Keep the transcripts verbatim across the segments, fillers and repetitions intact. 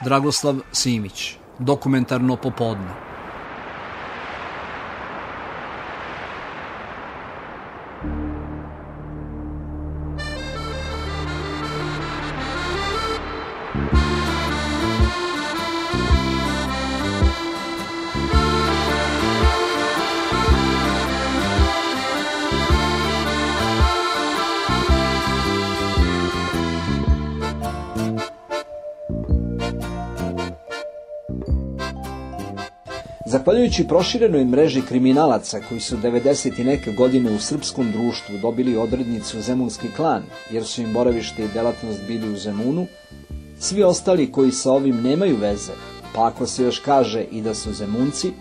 Dragoslav Simić, Dokumentarno popodne. Zahvaljujući proširenoj mreži kriminalaca koji su devedeset i neke godine u srpskom društvu dobili odrednicu Zemunski klan, jer su im boravište i delatnost bili u Zemunu, svi ostali koji sa ovim nemaju veze, pa ako se još kaže i da su Zemunci,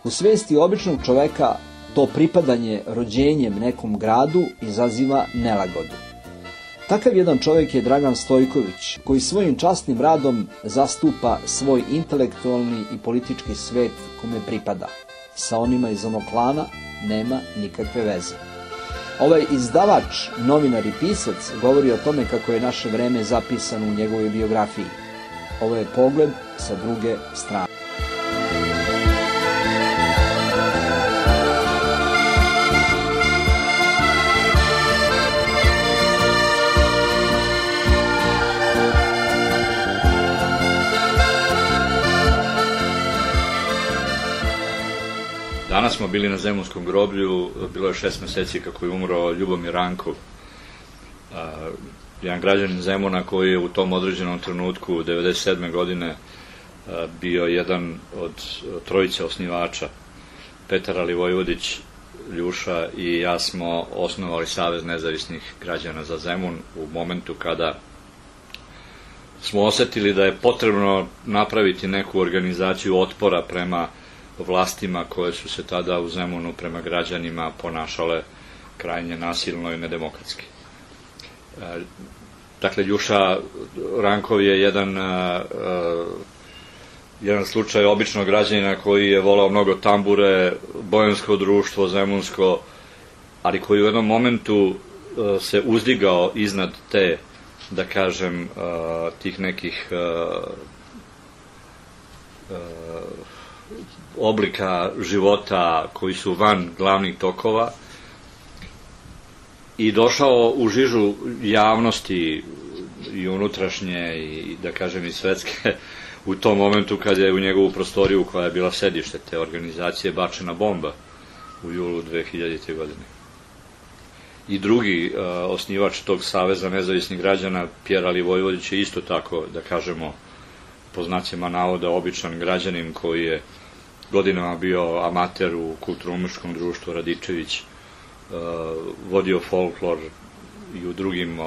u svesti običnog čoveka to pripadanje rođenjem nekom gradu izaziva nelagodu. Takav jedan čovjek je Dragan Stojković, koji svojim časnim radom zastupa svoj intelektualni i politički svet kome pripada. Sa onima iz onog klana nema nikakve veze. Ovaj izdavač, novinar i pisac govori o tome kako je naše vreme zapisano u njegovoj biografiji. Ovo je pogled sa druge strane. Danas smo bili na Zemunskom groblju, bilo je šest meseci kako je umro Ljubomir Rankov, jedan građanin Zemuna koji je u tom određenom trenutku, devedeset sedme godine, bio jedan od trojice osnivača. Petar Alivojvodić, Ljuša i ja smo osnovali Savez nezavisnih građana za Zemun u momentu kada smo osetili da je potrebno napraviti neku organizaciju otpora prema vlastima koje su se tada u Zemunu prema građanima ponašale krajnje nasilno i nedemokratski. Dakle, Ljuša Rankov je jedan, jedan slučaj običnog građanina koji je volao mnogo tambure, bojansko društvo, zemunsko, ali koji u jednom momentu se uzdigao iznad te, da kažem, tih nekih oblika života koji su van glavnih tokova i došao u žižu javnosti i unutrašnje i, da kažem, i svetske u tom momentu kad je u njegovu prostoriju, koja je bila sedište te organizacije, bačena bomba u julu dve hiljadite. godine. I drugi uh, osnivač tog Saveza nezavisnih građana, Pjer Alivojvodić, je isto tako, da kažemo, po znacima navoda, običan građanin koji je godinama bio amater u kulturno-umetničkom društvu Radičević, vodio folklor i u drugim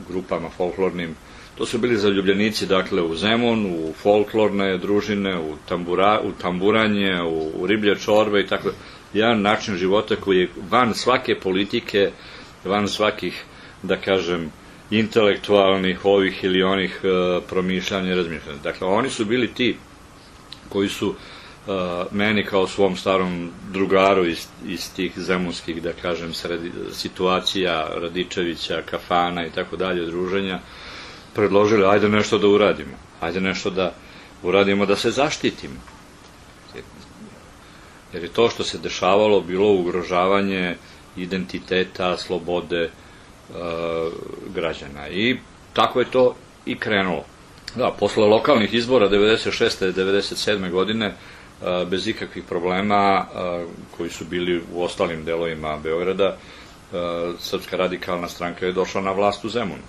grupama folklornim. To su bili zaljubljenici, dakle, u Zemun, u folklorne družine, u, tambura, u tamburanje, u, u riblje čorbe i tako. Jedan način života koji je van svake politike, van svakih, da kažem, intelektualnih ovih ili onih promišljanja i razmišljanja. Dakle, oni su bili ti koji su meni kao svom starom drugaru iz, iz tih zemunskih, da kažem, sredi, situacija Radičevića, kafana i tako dalje, druženja, predložili, ajde nešto da uradimo, ajde nešto da uradimo da se zaštitimo. Jer je to što se dešavalo bilo ugrožavanje identiteta, slobode e, građana. I tako je to i krenulo. Da, posle lokalnih izbora devedeset šeste. devedeset sedme. godine, bez ikakvih problema koji su bili u ostalim delovima Beograda, Srpska radikalna stranka je došla na vlast u Zemunu.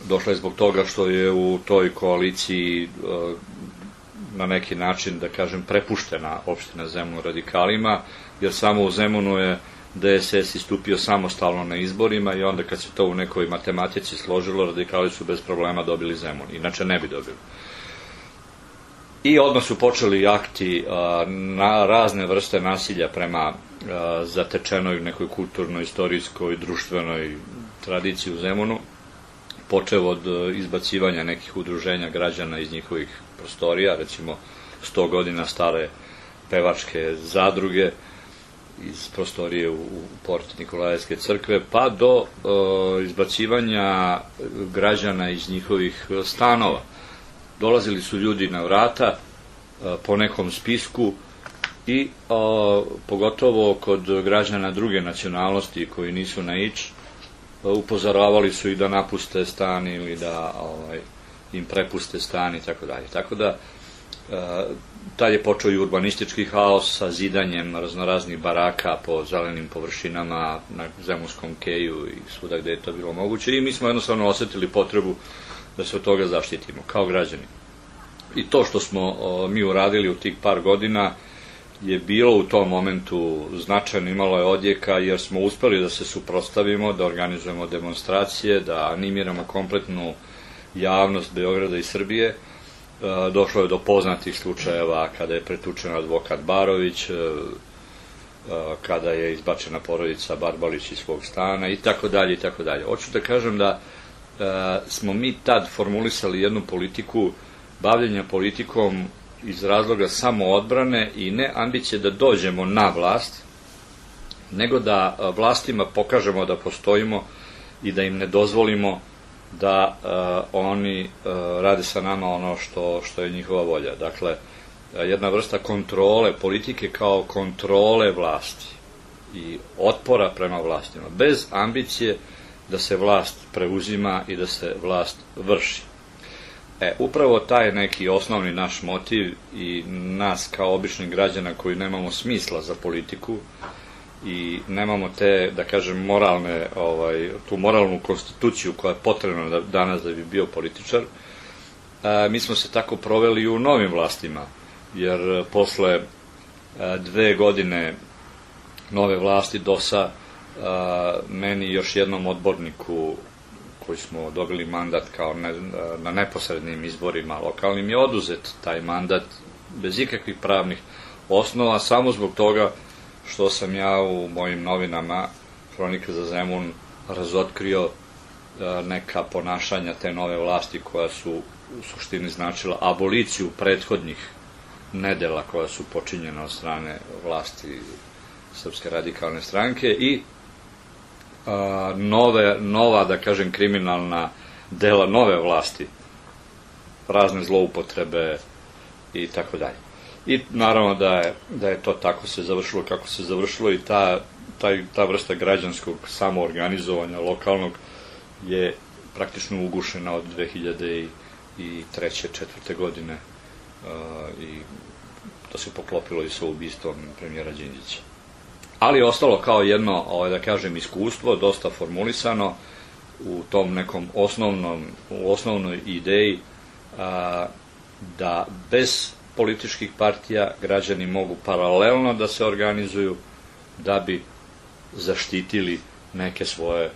Došla je zbog toga što je u toj koaliciji na neki način, da kažem, prepuštena opština Zemun radikalima, jer samo u Zemunu je D S S istupio samostalno na izborima i onda kad se to u nekoj matematici složilo, radikali su bez problema dobili Zemun, inače ne bi dobili. I odmah su počeli akti na razne vrste nasilja prema zatečenoj nekoj kulturnoj, istorijskoj, društvenoj tradiciji u Zemunu, počev od izbacivanja nekih udruženja građana iz njihovih prostorija, recimo sto godina stare pevačke zadruge iz prostorije u port Nikolajevske crkve, pa do izbacivanja građana iz njihovih stanova. dolazili su ljudi na vrata po nekom spisku i a, pogotovo kod građana druge nacionalnosti koji nisu na ič, upozoravali su i da napuste stan ili da ovaj, im prepuste stan i tako dalje. Tako da a, tad je počeo i urbanistički haos sa zidanjem raznoraznih baraka po zelenim površinama na Zemunskom keju i svuda gde je to bilo moguće i mi smo jednostavno osetili potrebu da se od toga zaštitimo kao građani. I to što smo o, mi uradili u tih par godina je bilo u tom momentu značajno, imalo je odjeka jer smo uspeli da se suprotstavimo, da organizujemo demonstracije, da animiramo kompletnu javnost Beograda i Srbije. E, došlo je do poznatih slučajeva kada je pretučen advokat Barović, e, e, kada je izbačena porodica Barbalić iz svog stana i tako dalje i tako dalje. Hoću da kažem da e, smo mi tad formulisali jednu politiku bavljenja politikom iz razloga samoodbrane i ne ambicije da dođemo na vlast, nego da vlastima pokažemo da postojimo i da im ne dozvolimo da uh, oni uh, rade sa nama ono što, što je njihova volja. Dakle, jedna vrsta kontrole, politike kao kontrole vlasti i otpora prema vlastima, bez ambicije da se vlast preuzima i da se vlast vrši. E, upravo taj neki osnovni naš motiv i nas kao običnih građana koji nemamo smisla za politiku i nemamo te, da kažem, moralne, ovaj, tu moralnu konstituciju koja je potrebna da, danas da bi bio političar, e, mi smo se tako proveli i u novim vlastima, jer posle e, dve godine nove vlasti D O S-a e, meni i još jednom odborniku koji smo dobili mandat kao ne, na neposrednim izborima lokalnim je oduzet taj mandat bez ikakvih pravnih osnova, samo zbog toga što sam ja u mojim novinama Hronika za Zemun razotkrio neka ponašanja te nove vlasti koja su u suštini značila aboliciju prethodnih nedela koja su počinjena od strane vlasti Srpske radikalne stranke i nove, nova, da kažem, kriminalna dela nove vlasti, razne zloupotrebe i tako dalje. I naravno da je, da je to tako se završilo kako se završilo i ta, taj, ta vrsta građanskog samoorganizovanja lokalnog je praktično ugušena od dve hiljade treće četvrte godine uh, i to se poklopilo i sa ubistvom premijera Đinđića. Ali je ostalo kao jedno, ovaj, da kažem, iskustvo, dosta formulisano u tom nekom osnovnom, u osnovnoj ideji a, da bez političkih partija građani mogu paralelno da se organizuju da bi zaštitili neke svoje,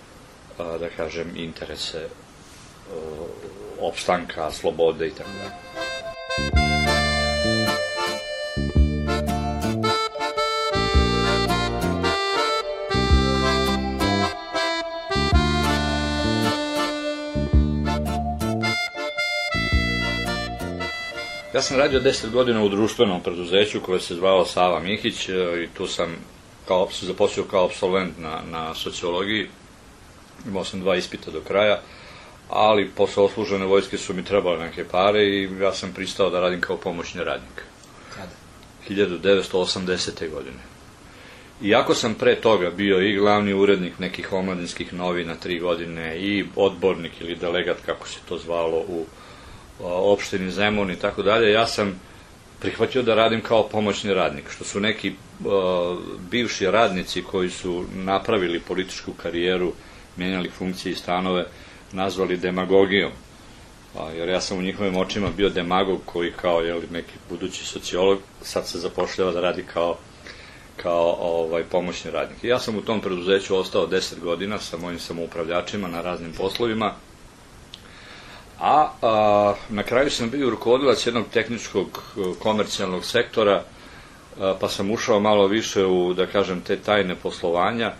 a, da kažem, interese a, opstanka, slobode i tako dalje. Ja sam radio deset godina u društvenom preduzeću koje se zvalo Sava Mihić i tu sam kao, se zaposlio kao apsolvent na, na sociologiji. Imao sam dva ispita do kraja, ali posle odslužene vojske su mi trebale neke pare i ja sam pristao da radim kao pomoćni radnik. Kada? hiljadu devetsto osamdesete godine. Iako sam pre toga bio i glavni urednik nekih omladinskih novina tri godine i odbornik ili delegat, kako se to zvalo, u opštini Zemun i tako dalje, ja sam prihvatio da radim kao pomoćni radnik, što su neki uh, bivši radnici koji su napravili političku karijeru, mijenjali funkcije i stanove, nazvali demagogijom. A, jer ja sam u njihovim očima bio demagog koji kao jeli, neki budući sociolog sad se zapošljava da radi kao, kao ovaj, pomoćni radnik. I ja sam u tom preduzeću ostao deset godina sa mojim samoupravljačima na raznim poslovima. A, a na kraju sam bio rukovodilac jednog tehničkog komercijalnog sektora, a, pa sam ušao malo više u, da kažem, te tajne poslovanja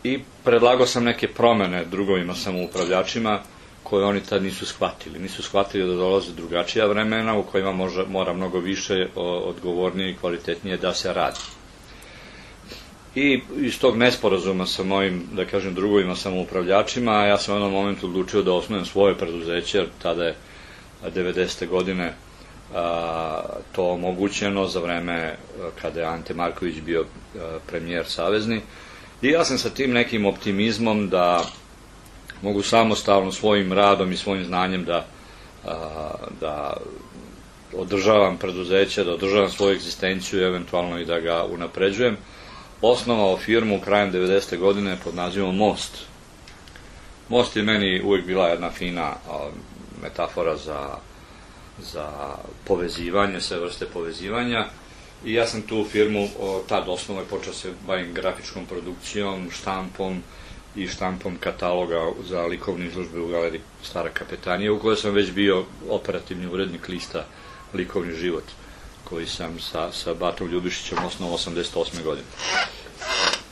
i predlagao sam neke promene drugovima samoupravljačima koje oni tad nisu shvatili. Nisu shvatili da dolaze drugačija vremena u kojima može, mora mnogo više odgovornije i kvalitetnije da se radi. I iz tog nesporazuma sa mojim, da kažem, drugovima samoupravljačima, ja sam u jednom momentu odlučio da osnujem svoje preduzeće, jer tada je devedesete godine a, to omogućeno za vreme kada je Ante Marković bio a, premijer savezni. I ja sam sa tim nekim optimizmom da mogu samostalno svojim radom i svojim znanjem da, a, da održavam preduzeće, da održavam svoju egzistenciju, eventualno i da ga unapređujem, osnovao firmu krajem devedesete godine pod nazivom Most. Most je meni uvijek bila jedna fina a, metafora za, za povezivanje, sve vrste povezivanja, i ja sam tu firmu o, tad osnovno je počeo se bavim grafičkom produkcijom, štampom i štampom kataloga za likovne izložbe u galeriji Stara Kapetanija, u kojoj sam već bio operativni urednik lista Likovni život, koji sam sa, sa Batom Ljubišićem osnovao osamdeset osme godine.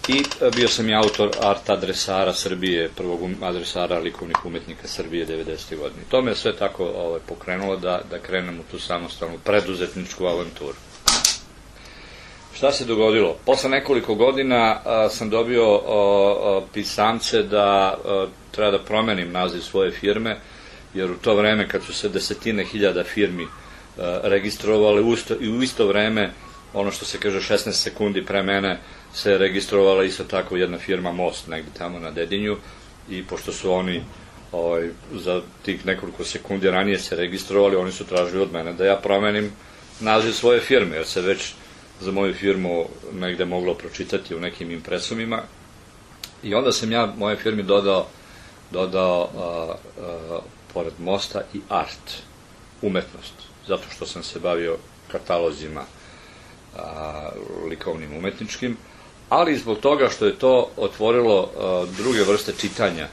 I bio sam i autor art adresara Srbije, prvog adresara likovnih umetnika Srbije devedesete godine. To me sve tako ovaj, pokrenulo da, da krenem u tu samostalnu preduzetničku avanturu. Šta se dogodilo? Posle nekoliko godina a, sam dobio a, a, pisamce da a, treba da promenim naziv svoje firme, jer u to vreme kad su se desetine hiljada firmi a, registrovale usto, i u isto vreme, ono što se kaže šesnaest sekundi pre mene, se registrovala isto tako jedna firma Most, negde tamo na Dedinju, i pošto su oni ovaj, za tih nekoliko sekundi ranije se registrovali, oni su tražili od mene da ja promenim naziv svoje firme, jer se već za moju firmu negde moglo pročitati u nekim impresumima. I onda sam ja moje firmi dodao, dodao a, a, pored Mosta i art, umetnost, zato što sam se bavio katalozima a, likovnim umetničkim, ali zbog toga što je to otvorilo a, druge vrste čitanja.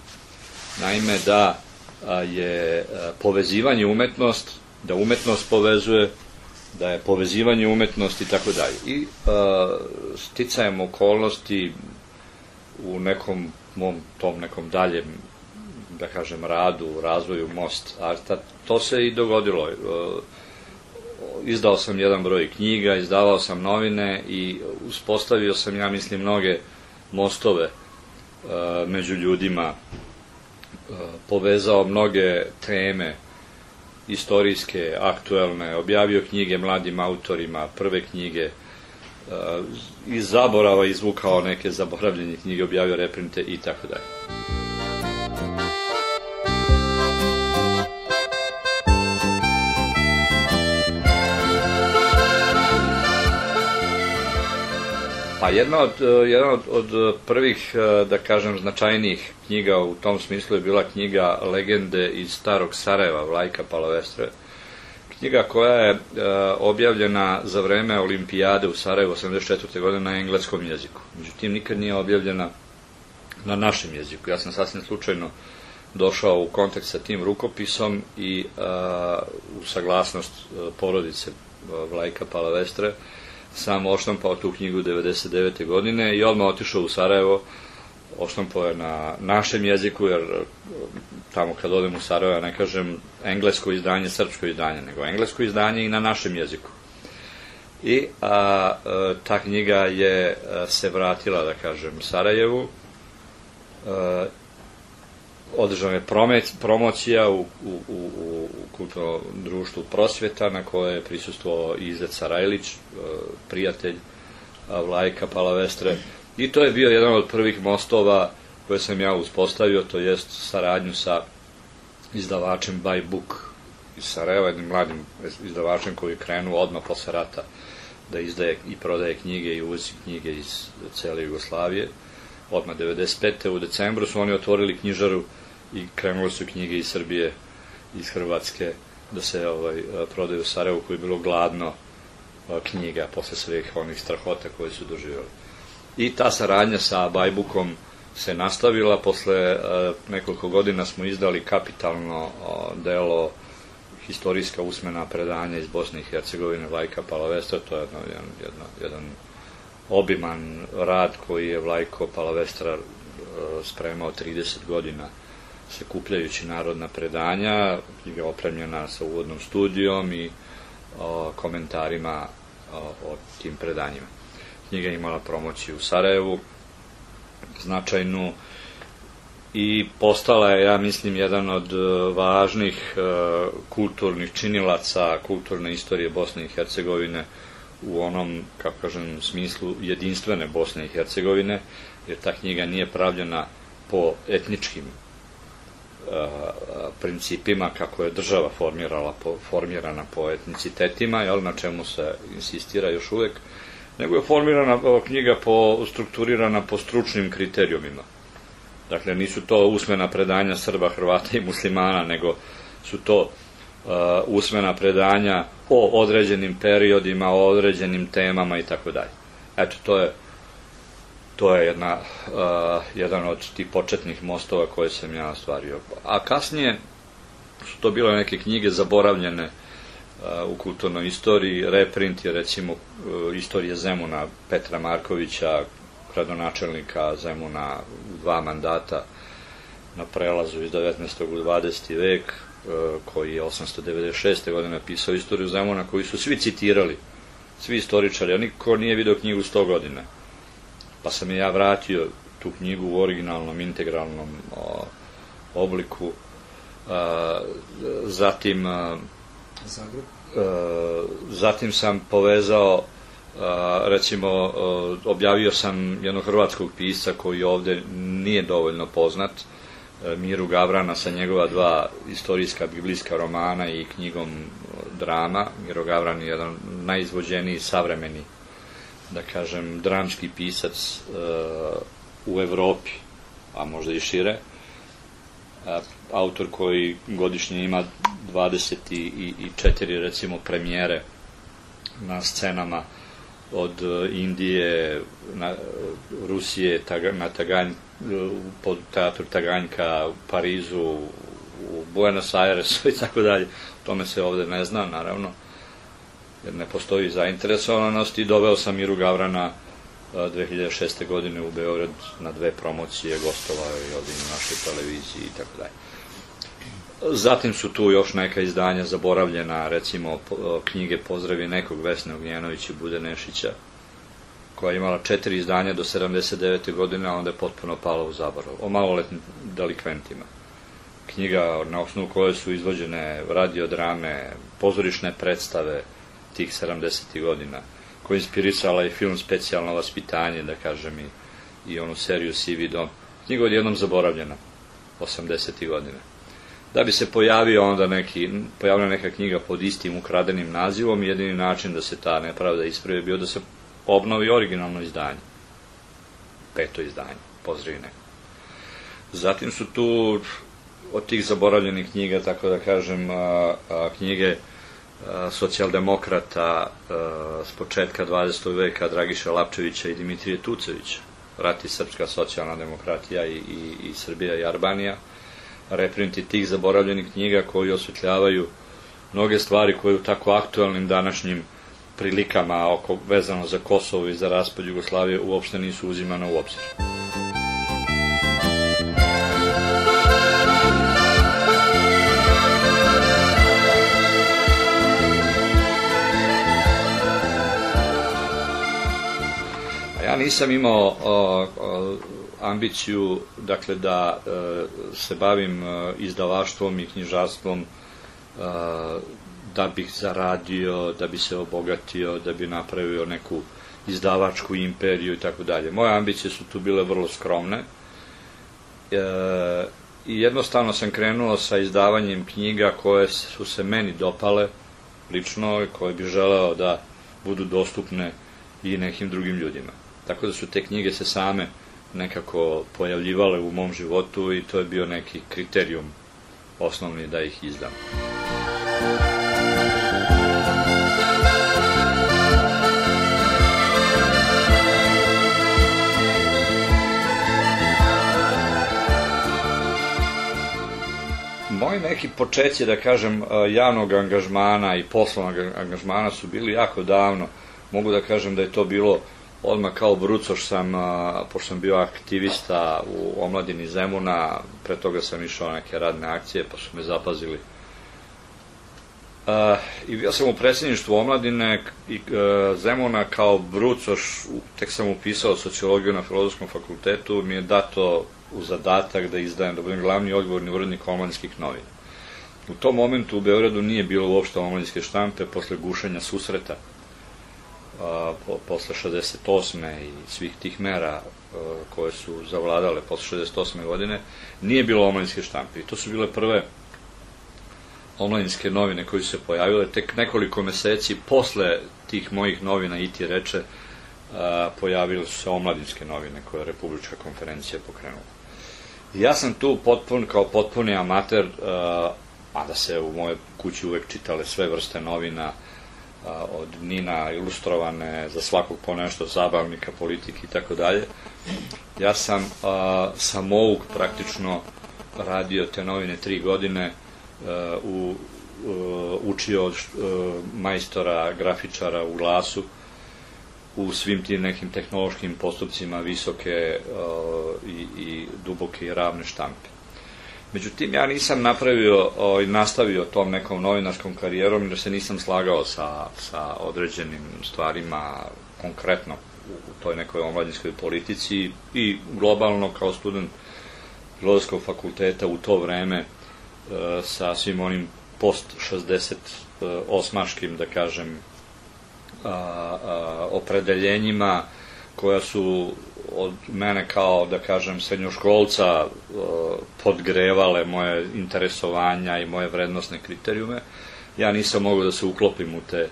Naime, da a, je a, povezivanje umetnost, da umetnost povezuje, da je povezivanje umetnosti i tako dalje. I a, sticajem okolnosti u nekom mom tom nekom daljem, da kažem, radu, razvoju Most Arta, to se i dogodilo. A, izdao sam jedan broj knjiga, izdavao sam novine i uspostavio sam, ja mislim, mnoge mostove a, među ljudima, a, povezao mnoge teme istorijske, aktuelne, objavio knjige mladim autorima, prve knjige, iz zaborava izvukao neke zaboravljene knjige, objavio reprinte i tako dalje. Pa jedna od, jedna od, od prvih, da kažem, značajnijih knjiga u tom smislu je bila knjiga Legende iz starog Sarajeva, Vlajka Palavestre. Knjiga koja je e, objavljena za vreme Olimpijade u Sarajevu osamdeset četvrte godine na engleskom jeziku. Međutim, nikad nije objavljena na našem jeziku. Ja sam sasvim slučajno došao u kontakt sa tim rukopisom i e, u saglasnost e, porodice e, Vlajka Palavestre sam odštampao tu knjigu devedeset devete godine i odmah otišao u Sarajevo. Odštampao je na našem jeziku, jer tamo kad odem u Sarajevo, ne kažem englesko izdanje, srpsko izdanje, nego englesko izdanje i na našem jeziku. I a, a, ta knjiga je a, se vratila, da kažem, Sarajevu. A, održana je promocija u, u, u, u kulturnom društvu Prosvjeta, na koje je prisustvovao Izet Sarajlić, prijatelj Vlajka Palavestre. I to je bio jedan od prvih mostova koje sam ja uspostavio, to jest saradnju sa izdavačem By Book iz Sarajeva, jednim mladim izdavačem koji je krenuo odmah posle rata da izdaje i prodaje knjige i uvozi knjige iz cele Jugoslavije. Odmah devedeset pete u decembru su oni otvorili knjižaru i krenule su knjige iz Srbije, iz Hrvatske, da se ovaj, prodaju u Sarajevu, koje je bilo gladno knjiga posle svih onih strahota koje su doživjeli. I ta saradnja sa Bajbukom se nastavila. Posle uh, nekoliko godina smo izdali kapitalno uh, delo Historijska usmena predanja iz Bosne i Hercegovine Vlajka Palavestra. To je jedno, jedan, jedno, jedan obiman rad koji je Vlajko Palavestra uh, spremao trideset godina sakupljajući narodna predanja. Knjiga je opremljena sa uvodnom studijom i uh, komentarima uh, o tim predanjima. Knjiga je imala promociju u Sarajevu, značajnu, i postala je, ja mislim, jedan od važnih kulturnih činilaca kulturne istorije Bosne i Hercegovine u onom, kako kažem, smislu jedinstvene Bosne i Hercegovine, jer ta knjiga nije pravljena po etničkim principima kako je država formirala, formirana po etnicitetima, jel, na čemu se insistira još uvek, nego je formirana knjiga po, strukturirana po stručnim kriterijumima. Dakle, nisu to usmena predanja Srba, Hrvata i muslimana, nego su to uh, usmena predanja o određenim periodima, o određenim temama i tako dalje. Eto, to je to je jedna, uh, jedan od tih početnih mostova koje sam ja ostvario. A kasnije su to bile neke knjige zaboravljene uh, u kulturnoj istoriji. Reprint je, recimo, uh, istorije Zemuna Petra Markovića, gradonačelnika Zemuna u dva mandata na prelazu iz devetnaestog u dvadeseti vek, koji je osamsto devedeset šeste godine pisao istoriju Zemuna, koji su svi citirali, svi istoričari, a niko nije video knjigu sto godina. Pa sam je ja vratio tu knjigu u originalnom, integralnom o, obliku. A, zatim a, a, zatim sam povezao, a, recimo, a, objavio sam jednog hrvatskog pisca koji ovde nije dovoljno poznat, Miru Gavrana, sa njegova dva istorijska biblijska romana i knjigom drama. Miro Gavran je jedan najizvođeniji savremeni, da kažem, dramski pisac uh, u Evropi, a možda i šire. Uh, autor koji godišnje ima dvadeset četiri, recimo, premijere na scenama od Indije, na, Rusije, taga, na Taganj, pod teatru Taganjka, u Parizu, u Buenos Airesu i tako dalje. O tome se ovde ne zna, naravno, jer ne postoji zainteresovanost, i doveo sam Miru Gavrana dve hiljade šeste. godine u Beograd na dve promocije, gostovao je ovde na našoj televiziji i tako dalje. Zatim su tu još neka izdanja zaboravljena, recimo knjige Pozdravi nekog Vesne Ognjenovića i Bude Nešića, koja je imala četiri izdanja do sedamdeset devete. godine, a onda je potpuno pala u zaborav, o maloletnim delikventima. Knjiga na osnovu koje su izvođene radiodrame, pozorišne predstave tih sedamdesetih godina, koja je inspirisala i film Specijalno vaspitanje, da kažem, i, i onu seriju Sivi dom. Knjiga odjednom zaboravljena, osamdesetih godina. Da bi se pojavio onda neki, pojavila neka knjiga pod istim ukradenim nazivom, i jedini način da se ta nepravda ispravi bio da se obnovi originalno izdanje. Peto izdanje, Pozdravi neko. Zatim su tu od tih zaboravljenih knjiga, tako da kažem, a, a, knjige a, socijaldemokrata a, s početka dvadesetog veka, Dragiša Lapčevića i Dimitrije Tucovića, Rat i srpska socijalna demokratija i, i, i Srbija i Albanija. Reprinti tih zaboravljenih knjiga koji osvetljavaju mnoge stvari koje u tako aktualnim današnjim prilikama oko, vezano za Kosovo i za raspad Jugoslavije, uopšte nisu uzimane u obzir. Ja nisam imao o, o, ambiciju, dakle, da e, se bavim e, izdavaštvom i knjižarstvom e, da bih zaradio, da bi se obogatio, da bi napravio neku izdavačku imperiju i tako dalje. Moje ambicije su tu bile vrlo skromne e, i jednostavno sam krenuo sa izdavanjem knjiga koje su se meni dopale lično, koje bi želeo da budu dostupne i nekim drugim ljudima. Tako da su te knjige se same nekako pojavljivale u mom životu i to je bio neki kriterijum osnovni da ih izdam. Moji neki počeci, da kažem, javnog angažmana i poslovnog angažmana su bili jako davno. Mogu da kažem da je to bilo odmah kao brucoš sam, pošto sam bio aktivista u omladini Zemuna, pre toga sam išao na neke radne akcije, pa su me zapazili. I bio sam u predsjedništvu omladine i Zemuna kao brucoš, tek sam upisao sociologiju na Filozofskom fakultetu, mi je dato u zadatak da izdajem, da budem glavni odgovorni urednik omladinskih novina. U tom momentu u Beogradu nije bilo uopšte omladinske štampe, posle gušenja Susreta, posle šezdeset osme i svih tih mera koje su zavladale posle šezdeset osme godine, nije bilo omladinske štampe. I to su bile prve omladinske novine koje su se pojavile. Tek nekoliko meseci posle tih mojih novina i ti reče, pojavile su se omladinske novine koje je Republička konferencija pokrenula. Ja sam tu potpun, kao potpuni amater, mada se u mojoj kući uvek čitale sve vrste novina, od Nina ilustrovane, za svakog po nešto, zabavnika, politike i tako dalje. Ja sam samouk praktično radio te novine tri godine, učio od majstora, grafičara u Glasu, u svim tim nekim tehnološkim postupcima visoke i duboke i ravne štampe. Međutim, ja nisam napravio i nastavio tom nekom novinarskom karijerom, jer se nisam slagao sa određenim stvarima konkretno u toj nekoj omladinskoj politici i globalno kao student Filozofskog fakulteta u to vreme sa svim onim post šezdeset osmaškim, da kažem, opredeljenjima koja su od mene kao, da kažem, srednjoškolca podgrevale moje interesovanja i moje vrednosne kriterijume. Ja nisam mogao da se uklopim u te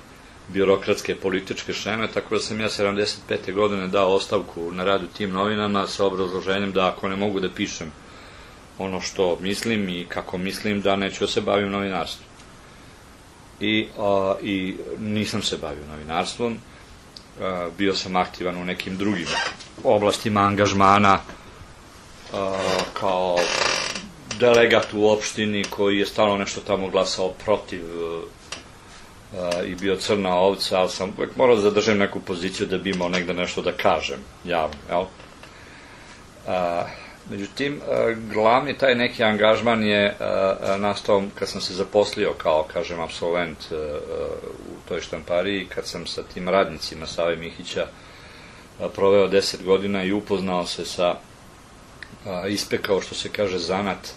birokratske političke šeme, tako da sam ja sedamdeset pete godine dao ostavku na rad u tim novinama sa obrazloženjem da ako ne mogu da pišem ono što mislim i kako mislim, da neću da se bavim novinarstvom. I nisam se bavio novinarstvom, bio sam aktivan u nekim drugim oblastima angažmana, kao delegat u opštini koji je stalno nešto tamo glasao protiv i bio crna ovca, ali sam uvek morao da zadržem neku poziciju da bi imao negde nešto da kažem javno, jel? Međutim, glavni taj neki angažman je nastao kad sam se zaposlio kao, kažem, apsolvent u toj štampariji, kad sam sa tim radnicima Save Mihića proveo deset godina i upoznao se sa, ispekao, što se kaže, zanat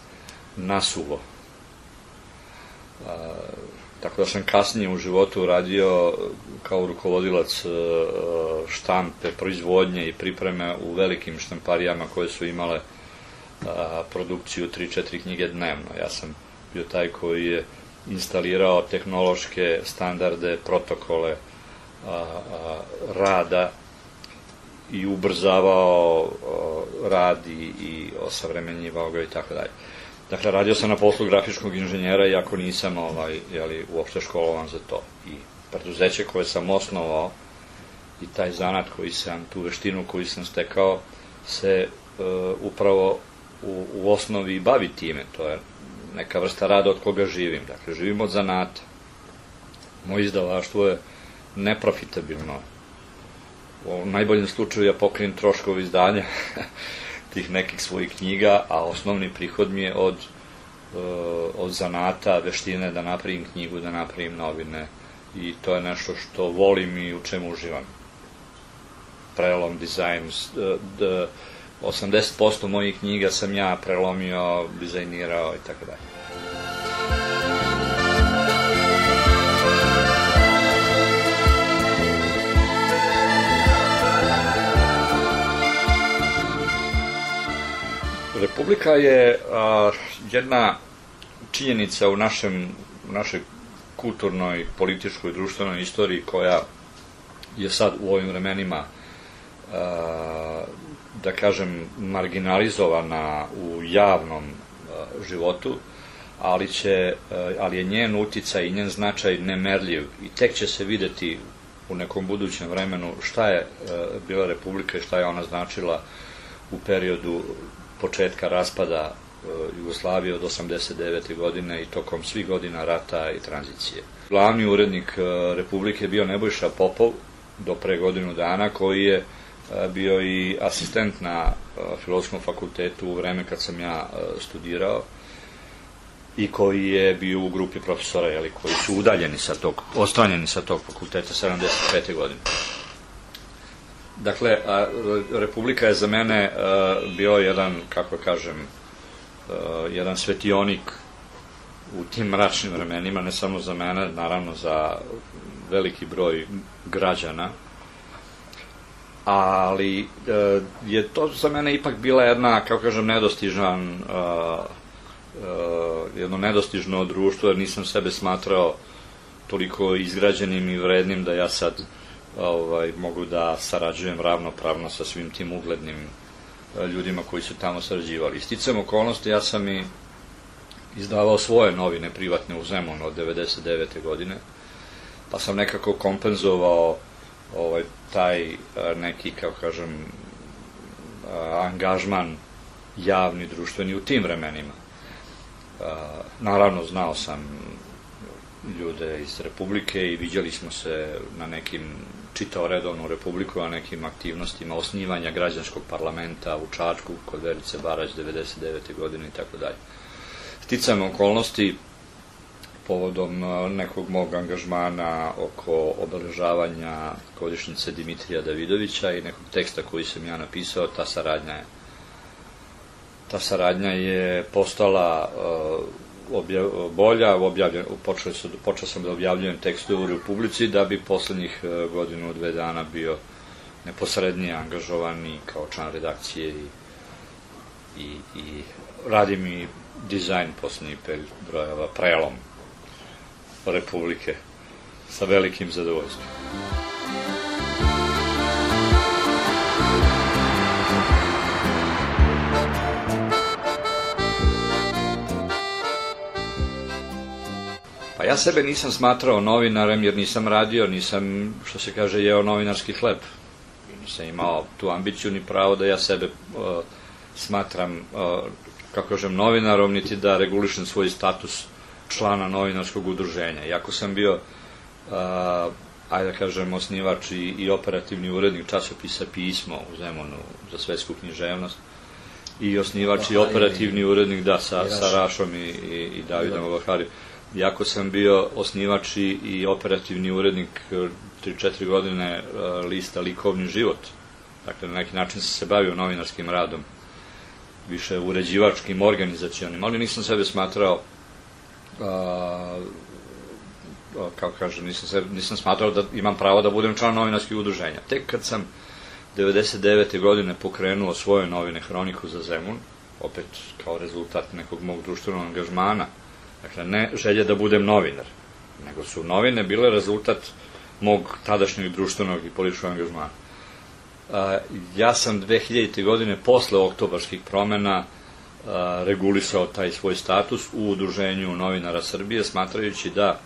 nasuvo. Tako da sam kasnije u životu radio kao rukovodilac štampe, proizvodnje i pripreme u velikim štamparijama koje su imale produkciju tri četiri knjige dnevno. Ja sam bio taj koji je instalirao tehnološke standarde, protokole rada i ubrzavao rad i osavremenjivao ga i tako dalje. Dakle, radio sam na poslu grafičkog inženjera, iako nisam uopšte školovan za to. I preduzeće koje sam osnovao i taj zanat koji sam, tu veštinu koju sam stekao, se upravo u osnovi bavi time. To je neka vrsta rada od koga živim. Dakle, živim od zanata. Moje izdavaštvo je neprofitabilno. U najboljem slučaju ja pokrijem troškove izdanja tih nekih svojih knjiga, a osnovni prihod mi je od, od zanata, veštine da napravim knjigu, da napravim novine, i to je nešto što volim i u čemu uživam. Prelom, dizajn, osamdeset posto mojih knjiga sam ja prelomio, dizajnirao i tako dalje. Republika je jedna činjenica u našoj kulturnoj, političkoj, društvenoj istoriji koja je sad u ovim vremenima, da kažem, marginalizovana u javnom životu, ali je njen uticaj i njen značaj nemerljiv i tek će se videti u nekom budućem vremenu šta je bila Republika i šta je ona značila u periodu početka raspada Jugoslavije od osamdeset devete godine i tokom svih godina rata i tranzicije. Glavni urednik Republike je bio Nebojša Popov do pre godinu dana, koji je bio i asistent na Filozofskom fakultetu u vreme kad sam ja studirao i koji je bio u grupi profesora koji su udaljeni sa tog, odstranjeni sa tog fakulteta sedamdeset pete godine. Dakle, a, Republika je za mene a, bio jedan, kako kažem, a, jedan svetionik u tim mračnim vremenima, ne samo za mene, naravno za veliki broj građana, ali a, je to za mene ipak bila jedna, kako kažem, nedostižan, a, a, jedno nedostižno društvo, jer nisam sebe smatrao toliko izgrađenim i vrednim da ja sad ovaj, mogu da sarađujem ravnopravno sa svim tim uglednim ljudima koji su tamo sarađivali. Sticajem okolnosti, ja sam i izdavao svoje novine privatne u Zemunu od devedeset devete godine, pa sam nekako kompenzovao ovaj, taj neki, kako kažem, angažman javni, društveni u tim vremenima. Naravno, znao sam ljude iz Republike i viđali smo se na nekim, čitao redovnu Republiku, a nekim aktivnostima osnivanja građanskog parlamenta u Čačku kod Verice Barać devedeset devete godine i tako dalje. Sticajem okolnosti, povodom nekog mog angažmana oko obeležavanja godišnjice Dimitrija Davidovića i nekog teksta koji sam ja napisao, ta saradnja je ta saradnja je postala Objav, bolja, objavljen, počeo, su, počeo sam da objavljujem tekstove u Republici, da bi poslednjih godinu, dve dana bio neposrednije angažovan i kao član redakcije i, i, i radim i dizajn poslednjih pet brojeva, prelom Republike sa velikim zadovoljstvom. Pa ja sebe nisam smatrao novinarem jer nisam radio, nisam, što se kaže, jeo novinarski hleb. Nisam imao tu ambiciju ni pravo da ja sebe uh, smatram, uh, kako kažem, novinarom, niti da regulišem svoj status člana novinarskog udruženja. Iako sam bio, uh, ajde da kažem, osnivač i, i operativni urednik časopisa Pismo u Zemunu za svetsku književnost, i osnivač i operativni urednik, da, sa, sa Rašom i, i, i Davidom Ovahari. Iako sam bio osnivač i operativni urednik tri četiri godine lista Likovni život, dakle na neki način sam se bavio novinarskim radom, više uređivačkim, organizacionim, ali nisam sebe smatrao, a, kao kažem, nisam, sebe, nisam smatrao da imam pravo da budem član novinarskih udruženja. Tek kad sam devedeset devete godine pokrenuo svoje novine Hroniku za Zemun, opet kao rezultat nekog mog društvenog angažmana, dakle, ne želje da budem novinar, nego su novine bile rezultat mog tadašnjeg društvenog i političkog angažmana. Ja sam dve hiljadite godine, posle oktobarskih promena, regulisao taj svoj status u Udruženju novinara Srbije, smatrajući da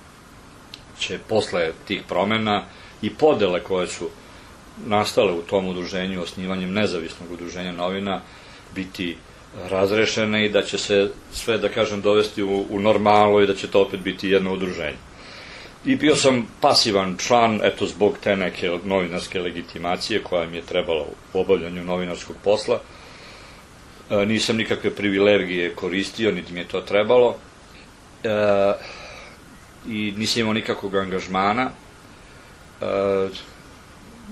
će posle tih promena i podele koje su nastale u tom udruženju osnivanjem nezavisnog udruženja novina biti razrešene i da će se sve, da kažem, dovesti u, u normalu i da će to opet biti jedno udruženje. I bio sam pasivan član, eto, zbog te neke novinarske legitimacije koja mi je trebala u obavljanju novinarskog posla. E, nisam nikakve privilegije koristio, niti mi je to trebalo. E, I nisam imao nikakvog angažmana. E,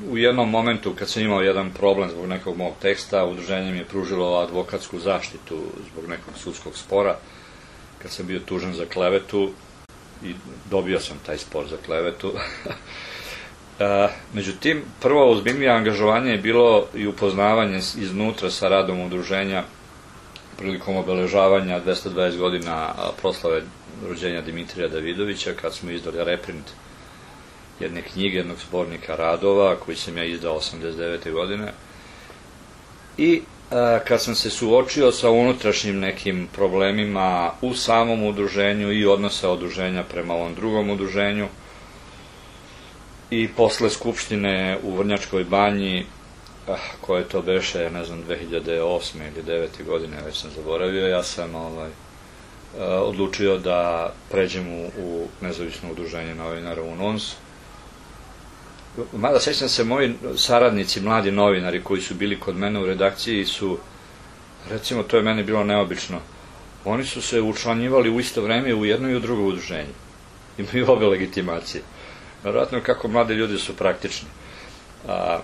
U jednom momentu, kad sam imao jedan problem zbog nekog mog teksta, udruženje mi je pružilo advokatsku zaštitu zbog nekog sudskog spora, kad sam bio tužen za klevetu i dobio sam taj spor za klevetu. e, međutim, prvo ozbiljnije angažovanje je bilo i upoznavanje iznutra sa radom udruženja prilikom obeležavanja dvesta dvadeset godina proslave rođenja Dimitrija Davidovića, kad smo izdali reprint jedne knjige, jednog zbornika radova, koji sam ja izdao osamdeset devete godine. I a, kad sam se suočio sa unutrašnjim nekim problemima u samom udruženju i odnosa udruženja prema ovom drugom udruženju, i posle skupštine u Vrnjačkoj banji, ah, koje to beše, ne znam, dve hiljade osme ili devete godine, već sam zaboravio, ja sam ovaj, a, odlučio da pređem u, u nezavisno udruženje novinara U N O N S. Mada sećam se, moji saradnici, mladi novinari koji su bili kod mene u redakciji su, recimo, to je meni bilo neobično, oni su se učlanjivali u isto vreme u jedno i u drugo udruženje. Imaju obe legitimacije. Vjerojatno kako mladi ljudi su praktični. A,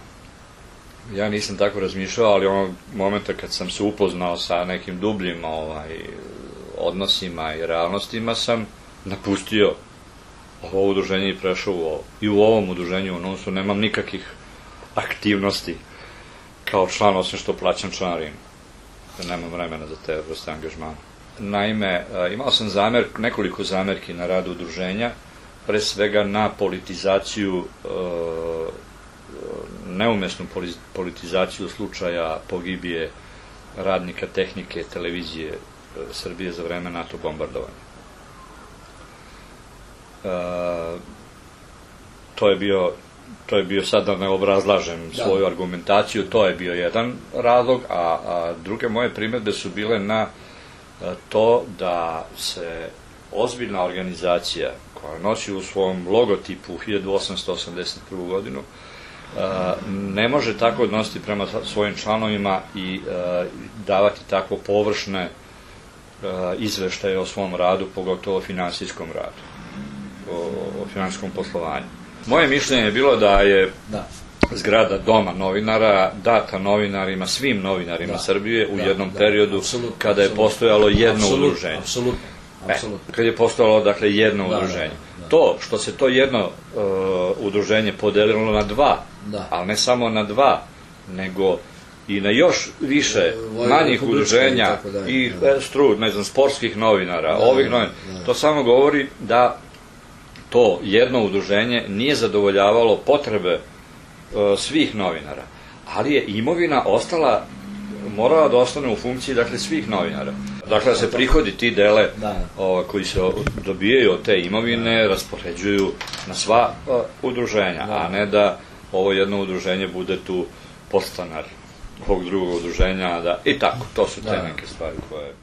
Ja nisam tako razmišljao, ali onog momenta kad sam se upoznao sa nekim dubljim ovaj, odnosima i realnostima, sam napustio ovo udruženje i prešao u ovo. I u ovom udruženju u N U S-u nemam nikakvih aktivnosti kao član, osim što plaćam članarinu. Nemam vremena za te vrste angažmana. Naime, imao sam zamer, nekoliko zamerki na radu udruženja, pre svega na politizaciju, neumesnu politizaciju slučaja pogibije radnika tehnike televizije Srbije za vreme NATO bombardovanja. To je bio, to je bio, sad da ne obrazlažem svoju argumentaciju, to je bio jedan razlog, a, a druge moje primedbe su bile na to da se ozbiljna organizacija koja nosi u svom logotipu hiljadu osamsto osamdeset prvu godinu ne može tako odnositi prema svojim članovima i davati tako površne izveštaje o svom radu, pogotovo o finansijskom radu, o finansijskom poslovanju. Moje mišljenje je bilo da je zgrada Doma novinara data novinarima, svim novinarima Srbije u jednom periodu kada je postojalo jedno udruženje. Kad je postojalo, dakle, jedno udruženje. To što se to jedno udruženje podelilo na dva, ali ne samo na dva, nego i na još više manjih udruženja i strud, ne znam, sportskih novinara, ovih novinara, to samo govori da to jedno udruženje nije zadovoljavalo potrebe svih novinara, ali je imovina ostala, morala da ostane u funkciji, dakle, svih novinara. Dakle, da se prihodi ti dele koji se dobijaju od te imovine raspoređuju na sva udruženja, a ne da ovo jedno udruženje bude tu podstanar ovog drugog udruženja, i tako, to su te neke stvari koje...